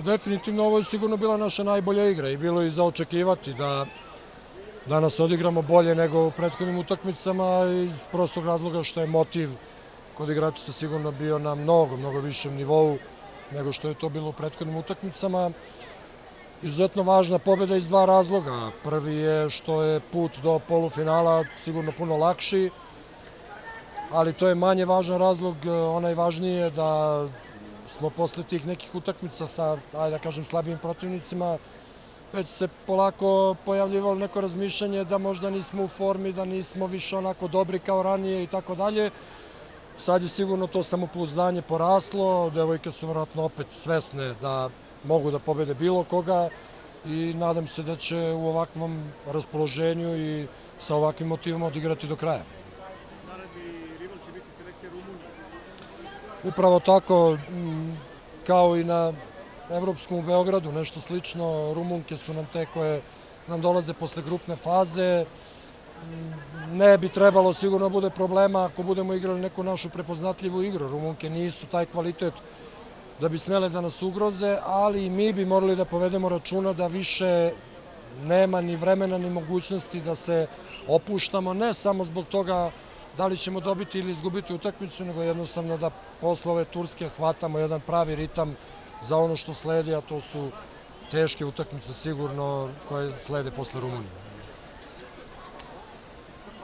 Definitivno ovo je sigurno bila naša najbolja igra i bilo je i za očekivati da danas odigramo bolje nego u prethodnim utakmicama iz prostog razloga što je motiv kod igračica sigurno bio na mnogo višem nivou nego što je to bilo u prethodnim utakmicama. Izuzetno važna pobjeda iz dva razloga. Prvi je što je put do polufinala sigurno puno lakši, ali to je manje važan razlog, onaj važniji je da smo posle tih nekih utakmica sa, ajde da kažem, slabijim protivnicima, već se polako pojavljivalo neko razmišljanje da možda nismo u formi, da nismo više onako dobri kao ranije i tako dalje. Sad je sigurno to samopouzdanje poraslo, devojke su vjerojatno opet svesne da mogu da pobede bilo koga i nadam se da će u ovakvom raspoloženju i sa ovakvim motivima odigrati do kraja. Naredni rival će biti selekcija Rumunije. Upravo tako, kao i na Evropskom u Beogradu, nešto slično. Rumunke su nam te koje nam dolaze posle grupne faze. Ne bi trebalo sigurno bude problema ako budemo igrali neku našu prepoznatljivu igru. Rumunke nisu taj kvalitet da bi smele da nas ugroze, ali i mi bi morali da povedemo računa da više nema ni vremena ni mogućnosti da se opuštamo, ne samo zbog toga da li ćemo dobiti ili izgubiti utakmicu, nego jednostavno da posle ove Turske hvatamo jedan pravi ritam za ono što sledi, a to su teške utakmice sigurno koje slede posle Rumunije.